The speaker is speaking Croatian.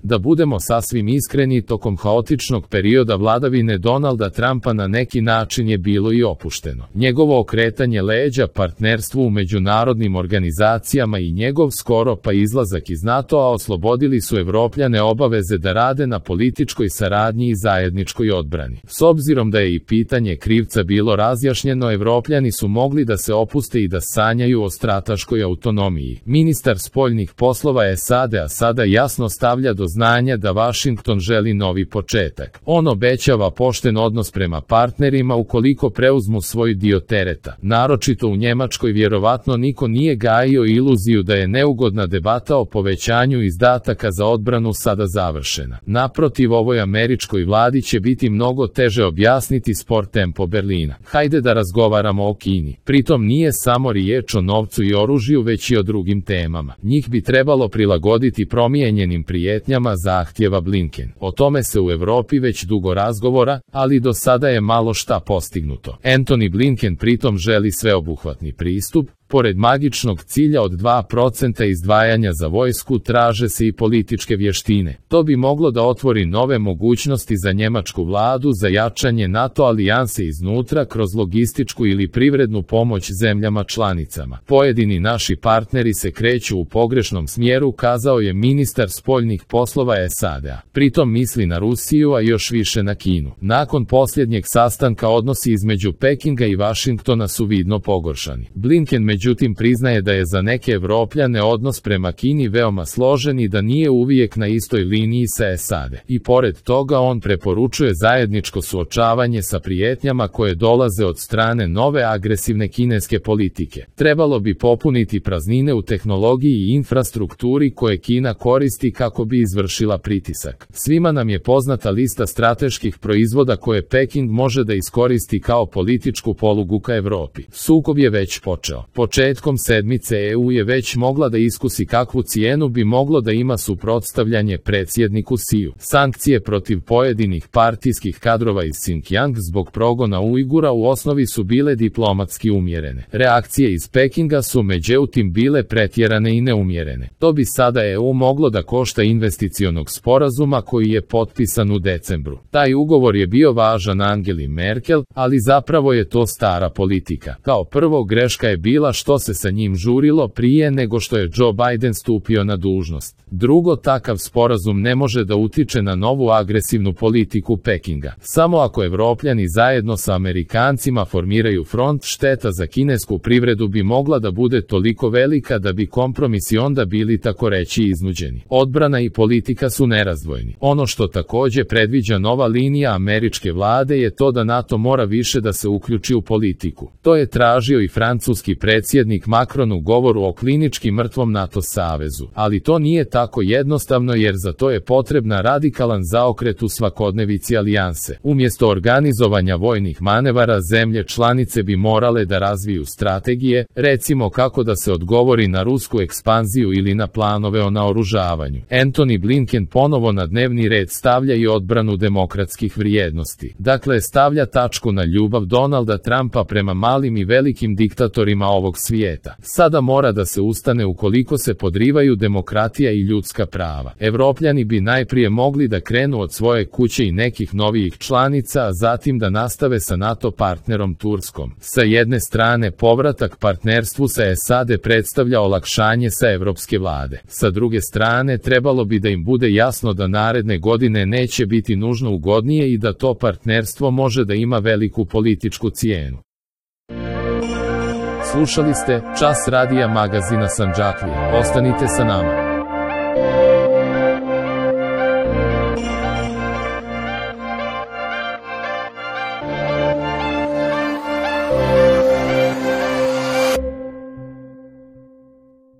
Da budemo sasvim iskreni, tokom haotičnog perioda vladavine Donalda Trumpa na neki način je bilo i opušteno. Njegovo okretanje leđa partnerstvu u međunarodnim organizacijama i njegov skoro pa izlazak iz NATO-a oslobodili su Evropljane obaveze da rade na političkoj saradnji i zajedničkoj odbrani. S obzirom da je i pitanje krivca bilo razjašnjeno, Evropljani su mogli da se opuste i da sanjaju o strateškoj autonomiji. Ministar spoljnih poslova SAD-a sada jasno stavlja do znanja da Vašington želi novi početak. On obećava pošten odnos prema partnerima ukoliko preuzmu svoj dio tereta. Naročito u Njemačkoj vjerovatno niko nije gajio iluziju da je neugodna debata o povećanju izdataka za odbranu sada završena. Naprotiv, ovoj američkoj vladi će biti mnogo teže objasniti spor tempo Berlina. Hajde da razgovaramo o Kini. Pritom nije samo riječ o novcu i oružju, već i o drugim temama. Njih bi trebalo prilagoditi promijenjenim prijetnjama, zahtjeva Blinken. O tome se u Europi već dugo razgovora, ali do sada je malo šta postignuto. Antony Blinken pritom želi sveobuhvatni pristup. Pored magičnog cilja od 2% izdvajanja za vojsku, traže se i političke vještine. To bi moglo da otvori nove mogućnosti za njemačku vladu za jačanje NATO alijanse iznutra kroz logističku ili privrednu pomoć zemljama članicama. Pojedini naši partneri se kreću u pogrešnom smjeru, kazao je ministar spoljnih poslova SAD-a. Pritom misli na Rusiju, a još više na Kinu. Nakon posljednjeg sastanka odnosi između Pekinga i Vašingtona su vidno pogoršani. Blinken međutim priznaje da je za neke Evropljane odnos prema Kini veoma složen i da nije uvijek na istoj liniji sa SAD. I pored toga on preporučuje zajedničko suočavanje sa prijetnjama koje dolaze od strane nove agresivne kineske politike. Trebalo bi popuniti praznine u tehnologiji i infrastrukturi koje Kina koristi kako bi izvršila pritisak. Svima nam je poznata lista strateških proizvoda koje Peking može da iskoristi kao političku polugu ka Evropi. Sukob je već počeo. Početkom sedmice EU je već mogla da iskusi kakvu cijenu bi moglo da ima suprotstavljanje predsjedniku Siju. Sankcije protiv pojedinih partijskih kadrova iz Xinjiang zbog progona Ujgura u osnovi su bile diplomatski umjerene. Reakcije iz Pekinga su međutim bile pretjerane i neumjerene. To bi sada EU moglo da košta investicionog sporazuma koji je potpisan u decembru. Taj ugovor je bio važan Angeli Merkel, ali zapravo je to stara politika. Kao prvo, greška je bila što se sa njim žurilo prije nego što je Joe Biden stupio na dužnost. Drugo, takav sporazum ne može da utiče na novu agresivnu politiku Pekinga. Samo ako Evropljani zajedno sa Amerikancima formiraju front, šteta za kinesku privredu bi mogla da bude toliko velika da bi kompromisi onda bili tako reći iznuđeni. Odbrana i politika su nerazdvojni. Ono što također predviđa nova linija američke vlade je to da NATO mora više da se uključi u politiku. To je tražio i francuski predsjednik Macron u govoru o klinički mrtvom NATO savezu. Ali to nije tako jednostavno jer za to je potrebna radikalan zaokret u svakodnevici alijanse. Umjesto organizovanja vojnih manevara, zemlje članice bi morale da razviju strategije, recimo kako da se odgovori na rusku ekspanziju ili na planove o naoružavanju. Antony Blinken ponovo na dnevni red stavlja i odbranu demokratskih vrijednosti. Dakle, stavlja tačku na ljubav Donalda Trumpa prema malim i velikim diktatorima ovog svijeta. Sada mora da se ustane ukoliko se podrivaju demokratija i ljudska prava. Evropljani bi najprije mogli da krenu od svoje kuće i nekih novijih članica, a zatim da nastave sa NATO partnerom Turskom. Sa jedne strane, povratak partnerstvu sa SAD predstavlja olakšanje sa evropske vlade. Sa druge strane, trebalo bi da im bude jasno da naredne godine neće biti nužno ugodnije i da to partnerstvo može da ima veliku političku cijenu. Slušali ste Čas radija magazina Sandžaklija. Ostanite sa nama.